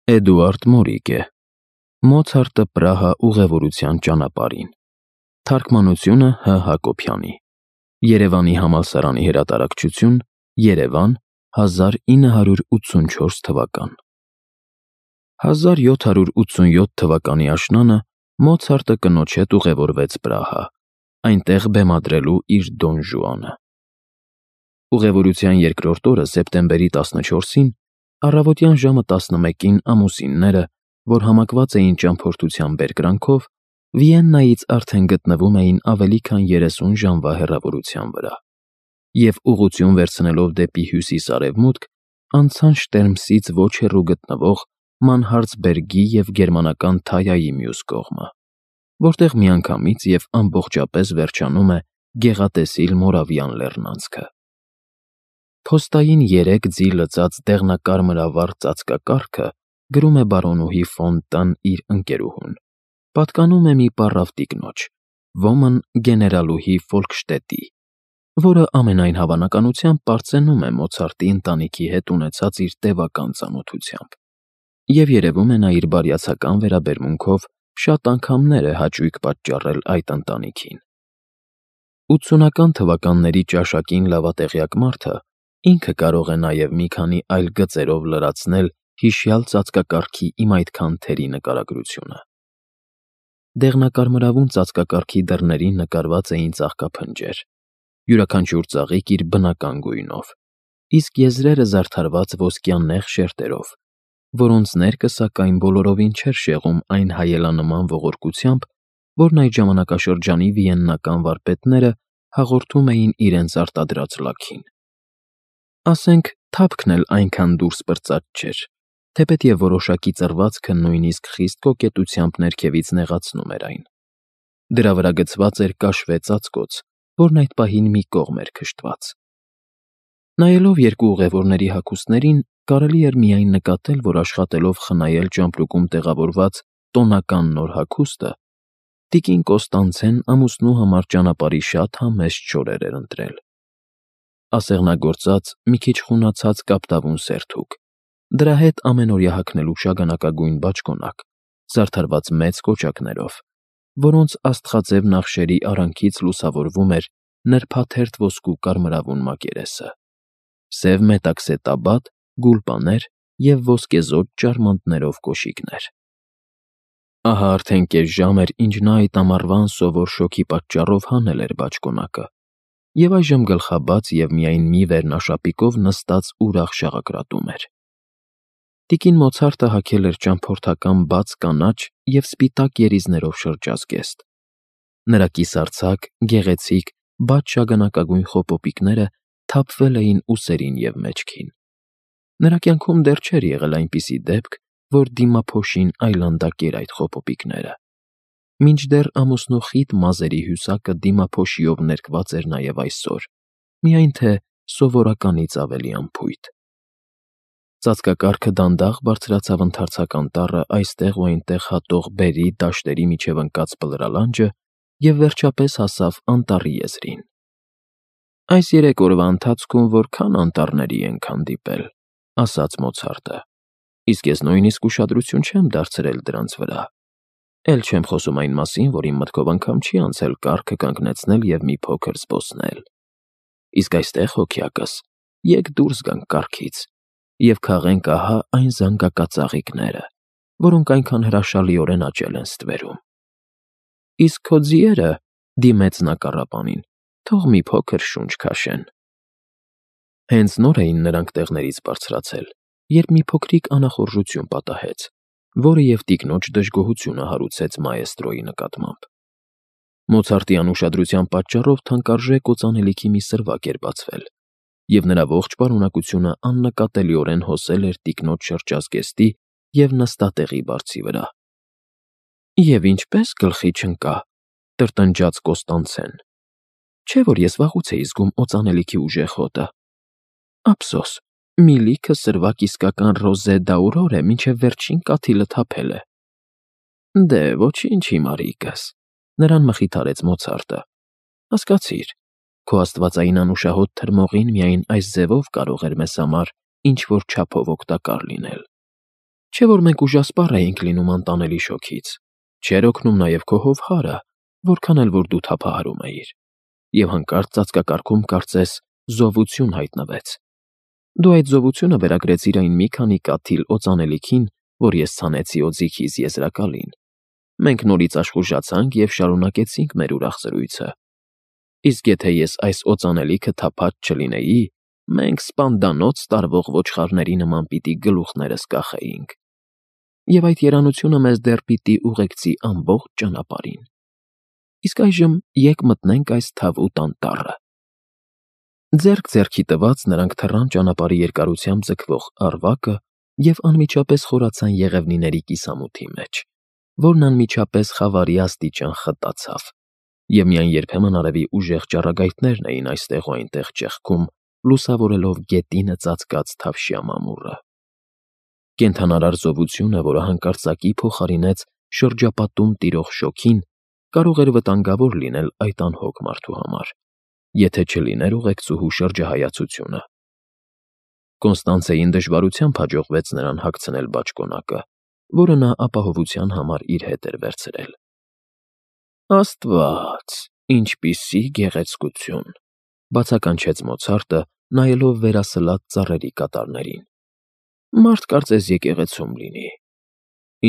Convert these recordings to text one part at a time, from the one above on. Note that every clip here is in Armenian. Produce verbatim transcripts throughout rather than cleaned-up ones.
Էդուարդ Մորիգե Մոցարտը Պրահա ուղևորության ճանապարհին Թարգմանությունը Հ. Հակոբյանի Երևանի համալսարանի հրատարակչություն Երևան հազար ինը հարյուր ութսունչորս թվական հազար յոթ հարյուր ութսունյոթ թվականի աշնանը Մոցարտը կնոջ հետ ուղևորվեց Պրահա, այնտեղ բեմադրելու իր Դոն Ժուանը։ Ուղևորության երկրորդ օրը սեպտեմբերի տասնչորսին առավոտյան ժամը տասնմեկին ամուսինները, որ համակված էին ճամփորդության բերկրանքով, Վիեննայից արդեն գտնվում էին ավելի քան երեսուն ժամվա հեռավորության վրա, և ուղղություն վերցնելով դեպի հյուսիս֊արևմուտք, անցան Շտերմսից ոչ հեռու գտնվող Մանհարցբերգի և գերմանական Թայայի մյուս կողմը, որտեղ միանգամից և ամբողջապես վերջանում է գեղատեսիլ Մորավիան լեռնանցքը։ Փոստային երեք ձի լցած դեղնակարմրավառ ծածկակառքը, գրում է բարոնուհի ֆոն Տ֊ն իր ընկերուհուն, պատկանում է մի պառավ տիկնոջ, ոմն գեներալուհի Ֆոլկշտեդտի, որը ամենայն հավանականությամբ պարծենում է Մոցարտի ընտանիքի հետ ունեցած իր տևական ծանոթությամբ, և երևում է նա իր բարյացակամ վերաբերմունքով շատ անգամներ է հաճույք պատճառել այդ ընտանիքին։ Ութսունական թվականների ճաշակին լավատեղյակ մարդը ինքը կարող է նաև մի քանի այլ գծերով լրացնել հիշյալ ծածկակառքի իմ այդքան թերի նկարագրությունը։ Դեղնակարմրավուն ծածկակառքի դռներին նկարված էին ծաղկափնջեր, յուրաքանչյուր ծաղիկ իր բնական գույնով, իսկ եզրերը զարդարված ոսկյաննեղ շերտերով, որոնց ներկը սակայն բոլորովին չէր շեղում այն հայելանման ողորկությամբ, որն այդ ժամանակաշրջանի վիեննական վարպետները հաղորդում էին իրենց արտադրած լաքին։ Ասենք, թափքն էլ այնքան դուրս պրծած չէր, թեպետև որոշակի ծռվածքը նույնիսկ խիստ կոկետությամբ ներքևից նեղացնում էր այն։ Դրա վրա գցված էր կաշվե ծածկոց, որն այդ պահին մի կողմ էր քշտված։ Նայելով երկու ուղևորների հագուստներին, կարելի էր միայն նկատել, որ աշխատելով խնայել ճամպրուկում տեղավորված տոնական նոր հագուստը, տիկին Կոստանցեն ամուսնու համար ճանապարհի շատ համեստ շորեր էր ընտրել։ Ասեղնագործած, մի քիչ խունացած կապտավուն սերթուկ, դրա հետ ամենօրյա հագնելու շագանակագույն բաճկոնակ, զարդարված մեծ կոճակներով, որոնց աստղաձև նախշերի արանքից լուսավորվում էր նրբաթերթ ոսկու կարմրավուն մակերեսը, սև մետաքսե տաբատ, գուլպաներ և ոսկեզօծ ճարմանտներով կոշիկներ։ Ահա արդեն կես ժամ էր, ինչ նա այդ ամառվա անսովոր շոգի պատճառով հանել էր բաճկոնակը, և այժմ գլխաբաց և միայն մի վերնաշապիկով նստած ուրախ շաղակրատում էր։ Տիկին Մոցարտը հագել էր ճամփորդական բաց կանաչ և սպիտակ երիզներով շրջազգեստ։ Նրա կիսարձակ, գեղեցիկ, բաց շագանակագույն խոպոպիկները թափվել էին ուսերին և մեջքին։ Նրա կյանքում դեռ չէր եղել այնպիսի դեպք, որ դիմափոշին այլանդակեր այդ խոպոպիկները, մինչդեռ ամուսնու խիտ մազերի հյուսակը դիմափոշիով ներկված էր նաև այսօր, միայն թե սովորականից ավելի անփույթ։ Ծածկակառքը դանդաղ բարձրացավ ընդարձակ անտառը այստեղ ու այնտեղ հատող բերրի դաշտերի միջև ընկած բլրալանջը և վերջապես հասավ անտառի եզրին։ «Այս երեք օրվա ընթացքում որքա՜ն անտառների ենք հանդիպել», ֊ ասաց Մոցարտը, «իսկ ես նույնիսկ ուշադրություն չեմ դարձրել դրանց վրա, էլ չեմ խոսում այն մասին, որ իմ մտքով անգամ չի անցել կառքը կանգնեցնել և մի փոքր զբոսնել։ Իսկ այստեղ, հոգյակս, եկ դուրս գանք կառքից և քաղենք ահա այն զանգակածաղիկները, որոնք այնքան հրաշալիորեն աճել են ստվերում»։ «Իսկ քո ձիերը, ֊ դիմեց նա կառապանին, ֊ թող մի փոքր շունչ քաշեն»։ Հենց նոր էին նրանք տեղներից բարձրացել, երբ մի փոքրիկ անախորժություն պատահեց, որը և տիկնոջ դժգոհությունը հարուցեց մաեստրոյի նկատմամբ։ Մոցարտի անուշադրության պատճառով թանկարժեք օծանելիքի մի սրվակ էր բացվել, և նրա ողջ պարունակությունը աննկատելիորեն հոսել էր տիկնոջ շրջազգեստի և նստատեղի բարձի վրա։ «Եվ ինչպե՜ս գլխի չընկա», ֊ տրտնջաց Կոստանցեն, «չէ՞ որ ես վաղուց էի զգում օծանելիքի ուժեղ հոտը։ Ափսոս, մի լիքը սրվակ իսկական ռոզե դ'աուրոր է, մինչև վերջին կաթիլը թափել է»։ «Դե, ոչինչ, իմ արիքս», ֊ նրան մխիթարեց Մոցարտը, «հասկացիր, քո աստվածային անուշահոտ թրմողին միայն այս ձևով կարող էր մեզ համար ինչ֊որ չափով օգտակար լինել։ Չէ՞ որ մենք ուժասպառ էինք լինում անտանելի շոգից, չէր օգնում նաև քո հովհարը, որքան էլ որ դու թափահարում էիր, և հանկարծ ծածկակարգում կարծես զովություն հայտնվեց։ Դու այդ զովությունը վերագրեցիր այն մի քանի կաթիլ օծանելիքին, որ ես ցանեցի օձիքիս եզրակալին։ Մենք նորից աշխուժացանք և շարունակեցինք մեր ուրախ զրույցը։ Իսկ եթե ես այս օծանելիքը թափած չլինեի, մենք սպանդանոց տարվող ոչխարների նման պիտի գլուխներս կախեինք։ Եվ այդ երանությունը մեզ դեռ պիտի ուղեկցի ամբողջ ճանապարհին։ Իսկ այժմ եկ մտնենք այս թավուտ անտառը։ Ձեռք ձեռքի տված նրանք թռան ճանապարհի երկարությամբ ձգվող առվակը և անմիջապես խորացան եղևնիների կիսամութի մեջ, որն անմիջապես խավարի աստիճան խտացավ, և միայն երբեմն արևի ուժեղ ճառագայթներն էին այստեղ ու այնտեղ ճեղքում, լուսավորելով գետինը ծածկած թավշյա մամուռը։ Կենդանարար զովությունը, որը հանկարծակի փոխարինեց շրջապատում տիրող շոգին, կարող էր վտանգավոր լինել այդ անհոգ մարդու համար, եթե չլիներ ուղեկցուհու շրջահայացությունը։ Կոնստանցեին դժվարությամբ հաջողվեց նրան հագցնել բաճկոնակը, որը նա ապահովության համար իր հետ էր վերցրել։ «Աստված, ինչպիսի գեղեցկություն», ֊ բացականչեց Մոցարտը, նայելով վերասլած ծառերի կատարներին։ «Մարդ կարծես եկեղեցում լինի։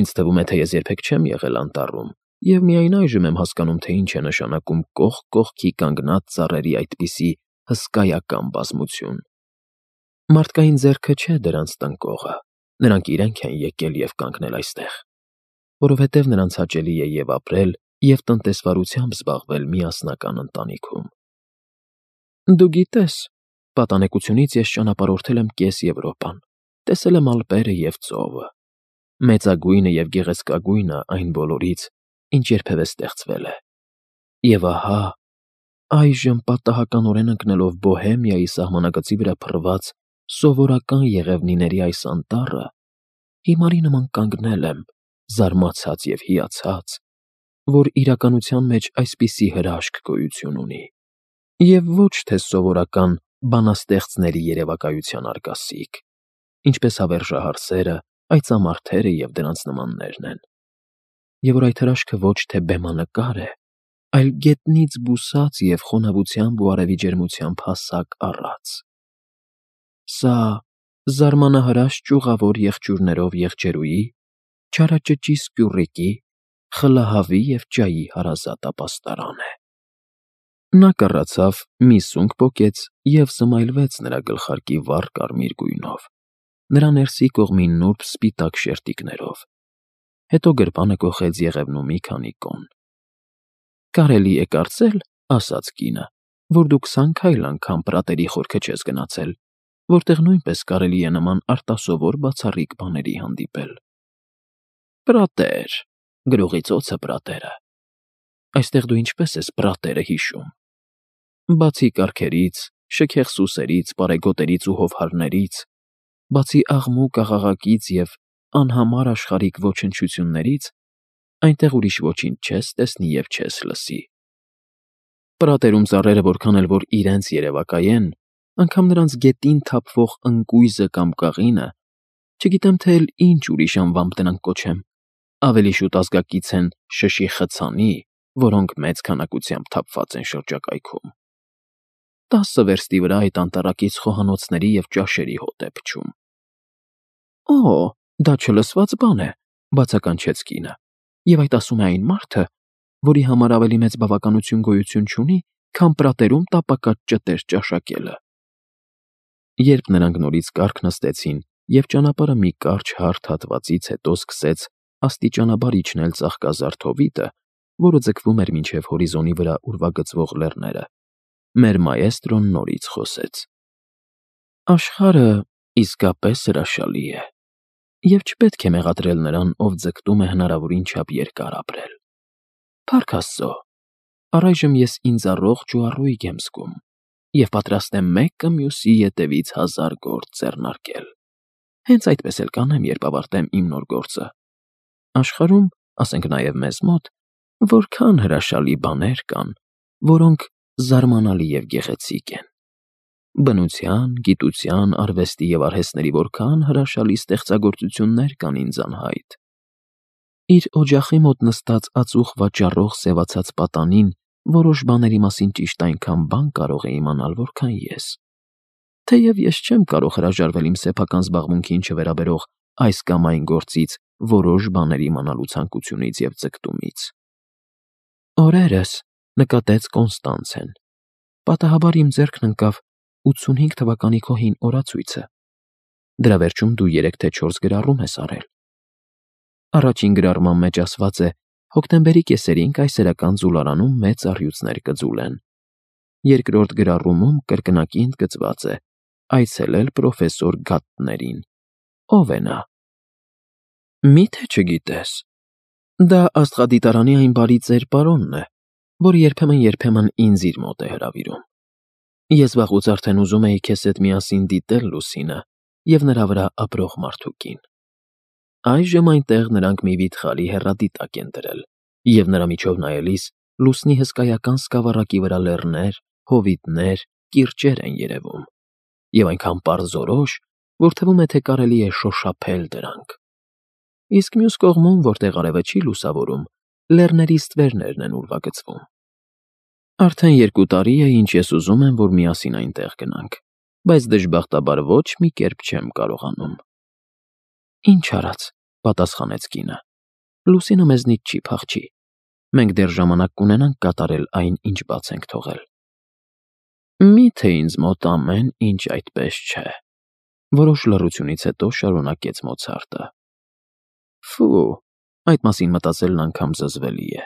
Ինձ թվում է, թե ես երբեք չեմ եղել անտառում և միայն այժմ եմ հասկանում, թե ինչ է նշանակում կողք կողքի կանգնած ծառերի այդպիսի հսկայական բազմություն։ Մարդկային ձեռքը չէ դրանց տնկողը, նրանք իրենք են եկել և կանգնել այստեղ, որովհետև նրանց հաճելի է և՛ ապրել, և տնտեսվարությամբ զբաղվել միասնական ընտանիքում։ Դու գիտես, պատանեկությունից ես ճանապարհորդել եմ կես Եվրոպան, տեսել եմ Ալպերը և ծովը, մեծագույնը և գեղեցկագույնը այն բոլորից, ինչ երբևէ ստեղծվել է։ Եվ ահա, այժմ պատահականորեն ընկնելով Բոհեմիայի սահմանագծի վրա փռված սովորական եղևնիների այս անտառը, հիմարի նման կանգնել եմ, զարմացած և հիացած, որ իրականության մեջ այսպիսի հրաշք գոյություն ունի, և ոչ թե սովորական բանաստեղծների երևակայության արգասիկ, ինչպես հավերժահար սերը, այծամարդերը և դրանց նմաններն են, և որ այդ հրաշքը ոչ թե բեմանկար է, այլ գետնից բուսած և խոնավությամբ ու արևի ջերմությամբ հասակ առած։ Սա զարմանահրաշ ճյուղավոր եղջյուրներով եղջերուի, չարաճճի սկյուռիկի, խլահավի և ճայի հարազատ ապաստարան է։ Նա կռացավ, մի սունկ պոկեց և զմայլվեց նրա գլխարկի վառ կարմիր գույնով, նրա ներսի կողմի նուրբ սպիտակ շերտիկներով, հետո գրպանը կոխեց եղևնու մի քանի կոն։ «Կարելի է կարծել, ֊ ասաց կինը, ֊ որ դու քսան քայլ անգամ պրատերի խորքը չես գնացել, որտեղ նույնպես կարելի է նման արտասովոր բացառիկ բաների հանդիպել»։ «Պրատեր, գրողի ծոցը պրատերը։ Այստեղ դու ինչպե՞ս ես պրատերը հիշում։ Բացի կառքերից, շքեղ սուսերից, պարեգոտերից ու հովհարներից, բացի աղմուկ֊աղաղակից և անհամար աշխարհիկ ոչնչություններից, այնտեղ ուրիշ ոչինչ չես տեսնի և չես լսի։ Պրատերում ծառերը որքան էլ որ իրենց երևակայեն, անգամ նրանց գետին թափվող ընկույզը կամ կաղինը, չգիտեմ թե էլ ինչ ուրիշ անվամբ դրանք կոչեմ, ավելի շուտ ազգակից են շշի խցանի, որոնք մեծ քանակությամբ թափված են շրջակայքում։ Տասը վերստի վրա այդ անտառակից խոհանոցների և ճաշերի հոտ է փչում»։ «Օ՜, դա չլսված բան է», ֊ բացականչեց կինը, «և այդ ասում է այն մարդը, որի համար ավելի մեծ բավականություն գոյություն չունի, քան պրատերում տապակած ճտեր ճաշակելը»։ Երբ նրանք նորից կառք նստեցին, և ճանապարհը մի կարճ հարթ հատվածից հետո սկսեց աստիճանաբար իջնել ծաղկազարդ հովիտը, որը ձգվում էր մինչև հորիզոնի վրա ուրվագծվող լեռները, մեր մաեստրոն նորից խոսեց. «Աշխարհը իսկապես հրաշալի է, և չպետք է մեղադրել նրան, ով ձգտում է հնարավորին չափ երկար ապրել։ Փառք Աստծո, առայժմ ես ինձ առողջ ու առույգ եմ զգում և պատրաստ եմ մեկը մյուսի ետևից հազար գործ ձեռնարկել։ Հենց այդպես էլ կանեմ, երբ ավարտեմ իմ նոր գործը։ Աշխարհում, ասենք նաև մեզ մոտ, որքա՜ն հրաշալի բաներ կան, որոնք զարմանալի և գեղեցիկ են։ Բնության, գիտության, արվեստի և արհեստների որքան հրաշալի ստեղծագործություններ կան ինձ անհայտ։ Իր օջախի մոտ նստած ածուխ վաճառող սևացած պատանին որոշ բաների մասին ճիշտ այնքան բան կարող է իմանալ, որքան ես։ Թեև ես չեմ կարող հրաժարվել իմ սեփական զբաղմունքին չվերաբերող այս կամ այն գործից որոշ բաներ իմանալու ցանկությունից և ձգտումից։ Օրերս, նկատեց Կոնստանցեն, պատահաբար իմ ձեռքն ընկավ ութսունհինգ թվականի քո հին օրացույցը։ Դրա վերջում դու երեք թե չորս գրառում ես արել։ Առաջին գրառման մեջ ասված է. հոկտեմբերի կեսերին կայսերական ձուլարանում մեծ առյուծներ կձուլեն։ Երկրորդ գրառումում կրկնակի ընդգծված է. այցելել պրոֆեսոր Գատտներին։ Ո՞վ է նա։ Մի՞թե չգիտես։ Դա աստղադիտարանի այն բարի ծեր պարոնն է, որ երբեմն-երբեմն ինձ իր մոտ է հրավիրում։ Ես վաղուց արդեն ուզում էի քեզ հետ միասին դիտել Լուսինը և նրա վրա ապրող մարդուկին։ Այժմ այնտեղ նրանք մի վիթխարի հեռադիտակ են դրել, և նրա միջով նայելիս լուսնի հսկայական սկավառակի վրա լեռներ, հովիտներ, կիրճեր են երևում, և այնքան պարզորոշ, որ թվում է, թե կարելի է շոշափել դրանք։ Իսկ մյուս կողմում, որտեղ արևը չի լուսավորում, լեռների ստվերներն են ուրվագծվում։ Արդեն երկու տարի է, ինչ ես ուզում եմ, որ միասին այնտեղ գնանք, բայց դժբախտաբար ոչ մի կերպ չեմ կարողանում։ Ինչ արած, պատասխանեց կինը, Լուսինը մեզնից չի փախչի։ Մենք դեռ ժամանակ կունենանք կատարել այն, ինչ բաց ենք թողել։ Մի՞թե ինձ մոտ ամեն ինչ այդպես չէ, որոշ լռությունից հետո շարունակեց Մոցարտը։ Ֆու, այդ մասին մտածելն անգամ զզվելի է։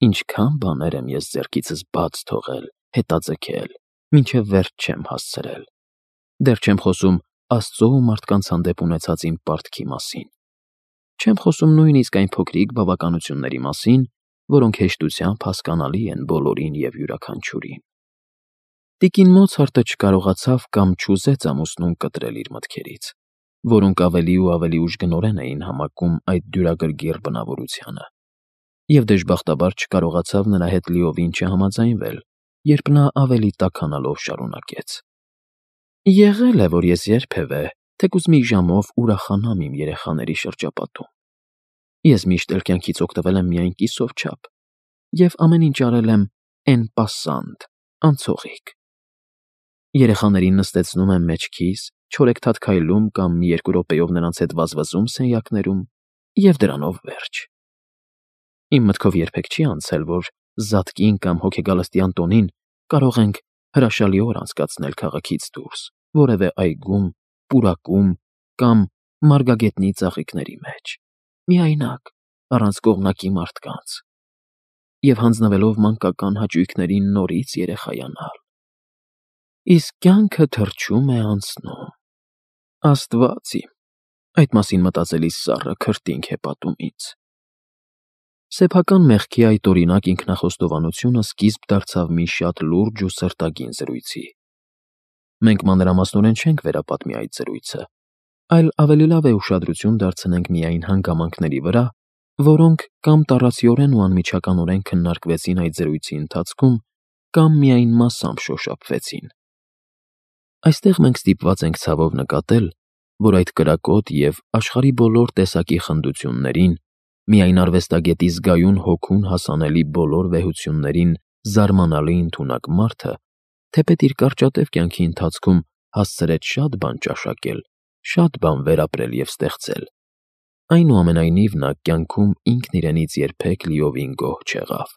Ինչքան բաներ եմ ես ձեռքիցս բաց թողել, հետաձգել, մինչև վերջ չեմ հասցրել։ Դեռ չեմ խոսում Աստծո ու մարդկանց հանդեպ ունեցած իմ պարտքի մասին։ Չեմ խոսում նույնիսկ այն փոքրիկ բավականությունների մասին, որոնք հեշտությամբ հասկանալի են բոլորին և յուրաքանչյուրին։ Տիկին Մոցարտը չկարողացավ կամ չուզեց ամուսնուն կտրել իր մտքերից, որոնք ավելի ու ավելի ուժգնորեն էին համակում այդ դյուրագրգիռ բնավորությանը, և դժբախտաբար չկարողացավ նրա հետ լիովին չհամաձայնվել, երբ նա ավելի տաքանալով շարունակեց. Եղել է, որ ես երբևէ, թեկուզ մի ժամով ուրախանամ իմ երեխաների շրջապատում։ Ես միշտ էլ կյանքից օգտվել եմ միայն կիսով չափ, և ամեն ինչ արել եմ en passant, անցողիկ։ Երեխաներին նստեցնում եմ մեջքիս, չորեքթաթ քայլում կամ մի երկու րոպեով նրանց հետ վազվզում սենյակներում և դրանով վերջ։ Իմ մտքով երբեք չի անցել, որ Զատկին կամ հոգեգալստյան տոնին կարող ենք հրաշալի օր անցկացնել քաղաքից դուրս, որևէ այգում, պուրակում կամ մարգագետնի ծաղիկների մեջ, միայնակ, առանց կողմնակի մարդկանց, և հանձնվելով մանկական հաճույքներին նորից երեխայանալ։ Իսկ կյանքը թռչում է անցնում։ Աստված իմ, այդ մասին մտածելիս սառը քրտինք է պատում ինձ։ Սեփական մեղքի այդ օրինակ ինքնախոստովանությունը սկիզբ դարձավ մի շատ լուրջ ու սրտագին զրույցի։ Մենք մանրամասնորեն չենք վերապատմի այդ զրույցը, այլ ավելի լավ է ուշադրություն դարձնենք միայն հանգամանքների վրա, որոնք կամ տառացիորեն ու անմիջականորեն քննարկվեցին այդ զրույցի ընթացքում, կամ միայն մասամբ շոշափվեցին։ Այստեղ մենք ստիպված ենք ցավով նկատել, որ այդ կրակոտ և աշխարհի բոլոր տեսակի խնդություններին, միայն արվեստագետի զգայուն հոգուն հասանելի բոլոր վեհություններին զարմանալի ընդունակ մարդը, թեպետ իր կարճատև կյանքի ընթացքում հասցրեց շատ բան ճաշակել, շատ բան վերապրել և ստեղծել, այնուամենայնիվ նա կյանքում ինքն իրենից երբեք լիովին գոհ չեղավ։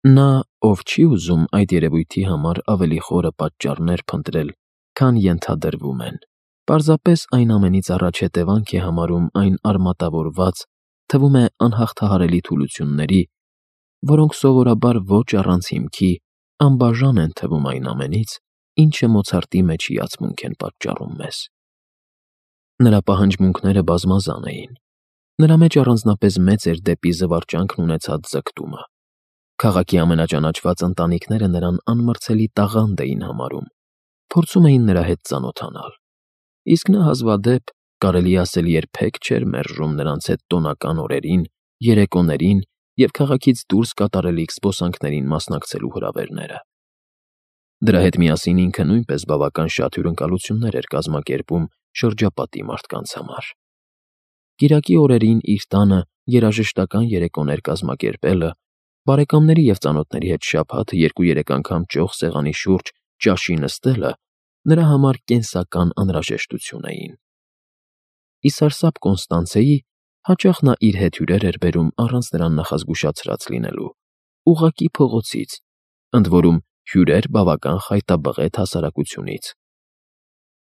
Նա, ով չի ուզում այդ երևույթի համար ավելի խորը պատճառներ փնտրել, քան ենթադրվում են, պարզապես այն ամենից առաջ հետևանք է համարում այն արմատավորված, թվում է անհաղթահարելի թուլությունների, որոնք սովորաբար ոչ առանց հիմքի անբաժան են թվում այն ամենից, ինչը Մոցարտի մեջ հիացմունք են պատճառում մեզ։ Նրա պահանջմունքները բազմազան էին։ Նրա մեջ առանձնապես մեծ էր դեպի զվարճանքն ունեցած ձգտումը։ Քաղաքի ամենաճանաչված ընտանիքները նրան անմրցելի տաղանդ էին համարում, փորձում էին նրա հետ ծանոթանալ, իսկ նա հազվադեպ, կարելի է ասել, երբեք չէր մերժում նրանց հետ տոնական օրերին, երեկոներին և քաղաքից դուրս կատարելիք զբոսանքներին մասնակցելու հրավերները։ Դրա հետ միասին ինքը նույնպես բավական շատ հյուրընկալություններ էր կազմակերպում շրջապատի մարդկանց համար։ Կիրակի օրերին իր տանը երաժշտական երեկոներ կազմակերպելը, բարեկամների և ծանոթների հետ շաբաթը երկու֊երեք անգամ ճոխ սեղանի շուրջ ճաշի նստելը նրա համար կենսական անհրաժեշտություն էին։ Ի սարսափ Կոնստանցեի հաճախ նա իր հետ հյուրեր էր բերում առանց նրան նախազգուշացրած լինելու, ուղղակի փողոցից, ընդ որում հյուրեր բավական խայտաբղետ հասարակությունից.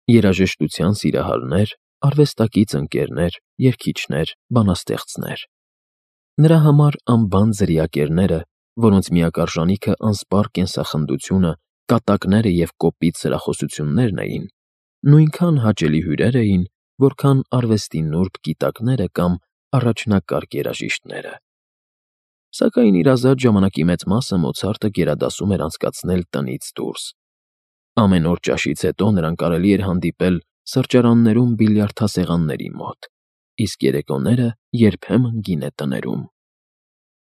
երաժշտության սիրահարներ, արվեստակից ընկերներ, երգիչներ, բանաստեղծներ։ Նրա համար անբան ձրիակերները, որոնց միակ արժանիքը անսպառ կենսախնդությունը, կատակները և կոպիտ սրախոսություններն էին, նույնքան հաճելի հյուրեր էին, որքան արվեստի նուրբ գիտակները կամ առաջնակարգ երաժիշտները։ Սակայն իր ազատ ժամանակի մեծ մասը Մոցարտը գերադասում էր անցկացնել տնից դուրս։ Ամեն օր ճաշից հետո նրան կարելի էր հանդիպել սրճարաններում բիլիարդասեղանների մոտ, իսկ երեկոները երբեմն գինետներում։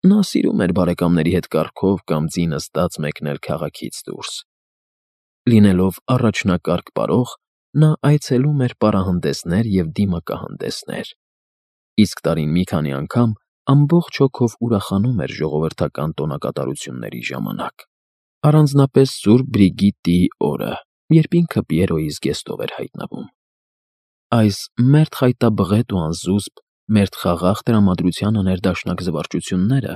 Նա սիրում էր բարեկամների հետ կառքով կամ ձի նստած մեկնել քաղաքից դուրս։ Լինելով առաջնակարգ պարող, նա այցելում էր պարահանդեսներ և դիմակահանդեսներ, իսկ տարին մի քանի անգամ ամբողջ հոգով ուրախանում էր ժողովրդական տոնակատարությունների ժամանակ, առանձնապես Սուրբ Բրիգիտտիի օրը, երբ ինքը Պիերոյի զգեստով էր հայտնվում։ Այս մերթ խայտաբղետ ու անզուսպ, մերթ խաղաղ տրամադրությանը ներդաշնակ զվարճությունները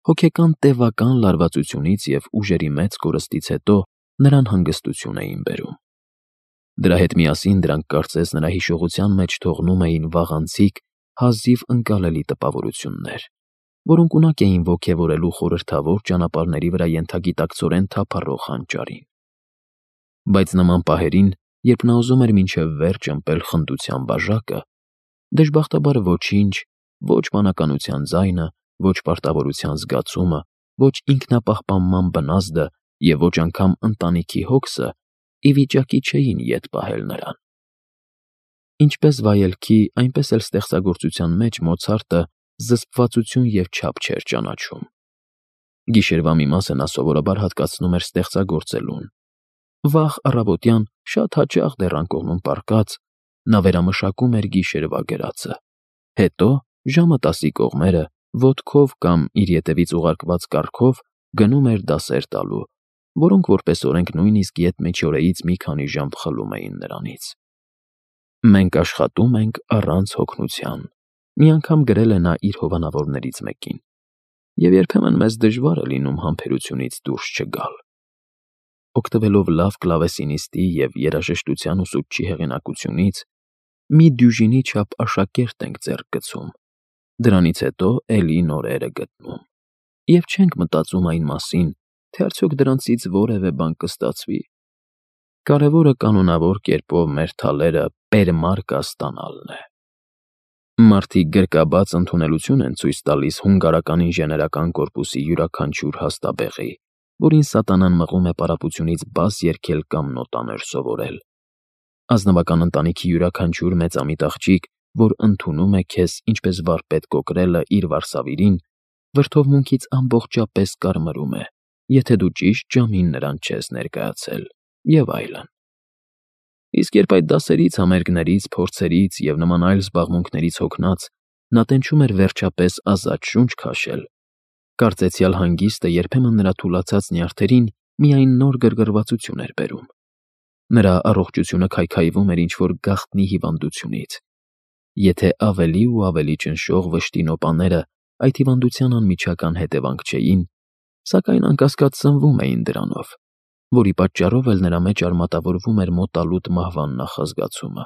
հոգեկան տևական լարվածությունից և ուժերի մեծ կորստից հետո նրան հանգստություն էին բերում։ Դրա հետ միասին դրանք կարծես նրա հիշողության մեջ թողնում էին վաղանցիկ, հազիվ ընկալելի տպավորություններ, որոնք ունակ էին ոգևորելու խորհրդավոր ճանապարհների վրա ենթագիտակցորեն թափառող հանճարին։ Բայց նման պահերին, երբ նա ուզում էր մինչև վերջ ըմպել խնդության բաժակը, դժբախտաբար ոչինչ, ոչ բանականության ձայնը, ոչ պարտավորության զգացումը, ոչ ինքնապահպանման բնազդը և ոչ անգամ ընտանիքի հոգսը ի վիճակի չէին ետ պահել նրան։ Ինչպես վայելքի, այնպես էլ ստեղծագործության մեջ Մոցարտը զսպվածություն և չափ չէր ճանաչում։ Գիշերվա մի մասը նա սովորաբար հատկացնում էր ստեղծագործելուն։ Վաղ առավոտյան, շատ հաճախ դեռ անկողնում պառկած, նա վերամշակում էր գիշերվա գրածը, հետո ժամը տասի կողմերը ոտքով կամ իր ետևից ուղարկված կառքով գնում էր դասեր տալու, որոնք որպես օրենք նույնիսկ ետմիջօրեից մի քանի ժամ խլում էին նրանից։ «Մենք աշխատում ենք առանց հոգնության», մի անգամ գրել է նա իր հովանավորներից մեկին, և երբեմն մեզ դժվար է լինում համբերությունից դուրս չգալ։ Օգտվելով լավ կլավեսինիստի և երաժշտության ուսուցչի հեղինակությունից, մի դյուժինի չափ աշակերտ ենք ձեռք գցում, դրանից հետո էլի նորերը գտնում, և չենք մտածում այն մասին, թե արդյոք դրանցից որևէ բան կստացվի։ Կարևորը կանոնավոր կերպով մեր թալերը պերմարկա ստանալն է։ Մարդիկ գրկաբաց ընդունելություն են ցույց տալիս հունգարական ինժեներական կորպուսի յուրաքանչյուր հաստաբեղի, որին սատանան մղում է պարապությունից բաս երգել կամ նոտաներ սովորել։ Ազնվական ընտանիքի յուրաքանչյուր մեծամիտ աղջիկ, որ ընդունում է քեզ ինչպես վարպետ կոկրելը իր վարսավիրին, վրդովմունքից ամբողջապես կարմրում է, եթե դու ճիշտ ժամին նրան չես ներկայացել, և այլն։ Իսկ երբ այդ դասերից, համերգներից, փորձերից և նման այլ զբաղմունքներից հոգնած, նա տենչում էր վերջապես ազատ շունչ քաշել, կարծեցյալ հանգիստը երբեմն նրա թուլացած նյարդերին միայն նոր գրգռվածություն էր բերում։ Նրա առողջությունը քայքայվում էր ինչ-որ գաղտնի հիվանդությունից։ Եթե ավելի ու ավելի ճնշող վշտի նոպաները այդ հիվանդության անմիջական հետևանք չէին, սակայն անկասկած սնվում էին դրանով, որի պատճառով էլ նրա մեջ արմատավորվում էր մոտալուտ մահվան նախազգացումը,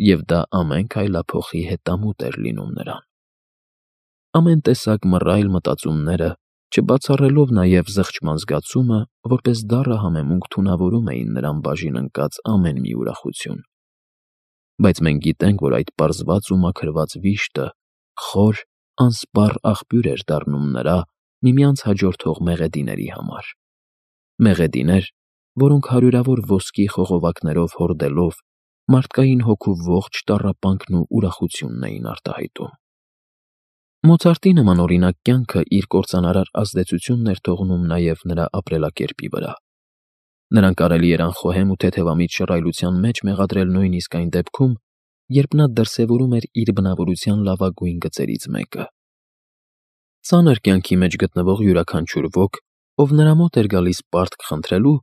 և դա ամեն քայլափոխի հետամուտ էր լինում նրան։ Ամեն տեսակ մռայլ մտածումները, չբացառելով նաև զղջման զգացումը, որպես դառը համեմունք թունավորում էին նրան բաժին ընկած ամեն մի ուրախություն։ Բայց մենք գիտենք, որ այդ պարզված ու մաքրված վիշտը խոր, անսպառ աղբյուր էր դառնում նրա միմյանց հաջորդող մեղեդիների համար։ Մեղեդիներ, որոնք հարյուրավոր ոսկի խողովակներով հորդելով մարդկային հոգու ողջ տառապանքն ու ուրախությունն էին արտահայտում։ Մոցարտի նման օրինակ կյանքը իր կործանարար ազդեցությունն էր թողնում նաև նրա ապրելակերպի վրա։ Նրան կարելի էր անխոհեմ ու թեթևամիտ շռայլության մեջ մեղադրել նույնիսկ այն դեպքում, երբ նա դրսևորում էր իր բնավորության լավագույն գծերից մեկը։ Ծանր կյանքի մեջ գտնվող յուրաքանչյուր ոք, ով նրա մոտ էր գալիս պարտք խնդրելու,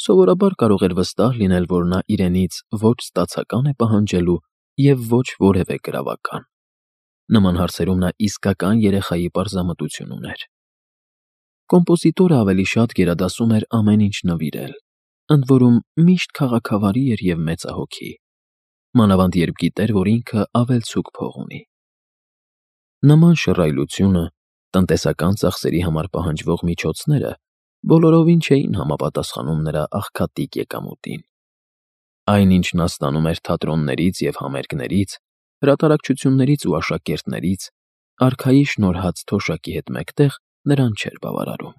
սովորաբար կարող էր վստահ լինել, որ նա իրենից ոչ ստացական է պահանջելու և ոչ որևէ գրավական։ Նման հարցերում նա իսկական երեխայի պարզամտություն ուներ։ Կոմպոզիտորը ավելի շատ գերադասում էր ամեն ինչ նվիրել, ընդ որում միշտ քաղաքավարի էր և մեծահոգի, մանավանդ երբ գիտեր, որ ինքը ավելցուկ փող ունի։ Նման շռայլությունը, տնտեսական ծախսերի համար պահանջվող միջոցները բոլորովին չէին համապատասխանում նրա աղքատիկ եկամուտին։ Այն, ինչ նա ստանում էր թատրոններից և համերգներից, հրատարակչություններից ու աշակերտներից, արքայի շնորհած թոշակի հետ մեկտեղ նրան չէր բավարարում։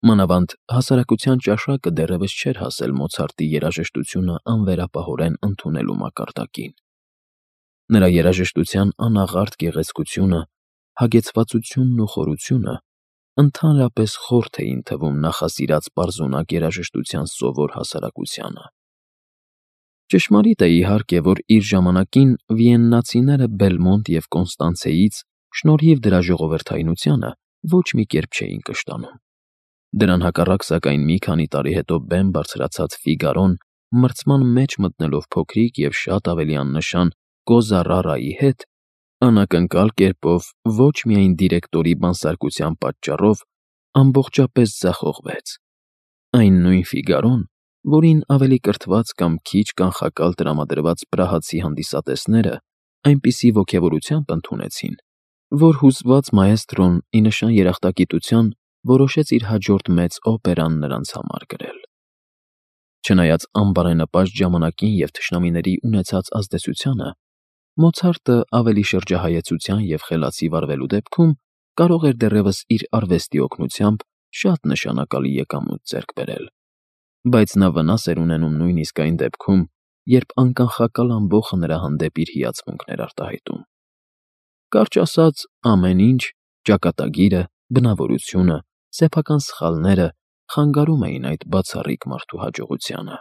Մանավանդ հասարակության ճաշակը դեռևս չէր հասել Մոցարտի երաժշտությունը անվերապահորեն ընդունելու մակարդակին։ Նրա երաժշտության անաղարտ գեղեցկությունը, հագեցվածությունն ու խորությունը ընդհանրապես խորթ էին թվում նախասիրած պարզունակ երաժշտության սովոր հասարակությանը։ Ճշմարիտ է, իհարկե, որ իր ժամանակին վիեննացիները Բելմոնտ և Կոնստանցեից, շնորհիվ դրա ժողովրդայնությանը, ոչ մի կերպ չէին կշտանում։ Դրան հակառակ, սակայն, մի քանի տարի հետո բեմ բարձրացած Ֆիգարոն, մրցման մեջ մտնելով փոքրիկ և շատ ավելի աննշան Կոզա Ռարայի հետ, անակնկալ կերպով ոչ միայն դիրեկտորի բանսարկության պատճառով ամբողջապես ձախողվեց։ Այն նույն Ֆիգարոն, որին ավելի կրթված կամ քիչ կանխակալ տրամադրված պրահացի հանդիսատեսները այնպիսի ոգևորությամբ ընդունեցին, որ հուզված մաեստրոն, ի նշան երախտագիտության, որոշեց իր հաջորդ մեծ օպերան նրանց համար գրել։ Չնայած անբարենպաստ ժամանակին և թշնամիների ունեցած ազդեցությանը, Մոցարտը ավելի շրջահայեցության և խելացի վարվելու դեպքում կարող էր դեռևս իր արվեստի օգնությամբ շատ նշանակալի եկամուտ ձեռք բերել, բայց նա վնաս էր ունենում նույնիսկ այն դեպքում, երբ անկանխական ամբոխը նրա հանդեպ իր հիացմունքն էր արտահայտում։ Կարճ ասած, ամեն ինչ՝ ճակատագիրը, բնավորությունը, սեփական սխալները խանգարում էին այդ բացառիկ մարդու հաջողությանը։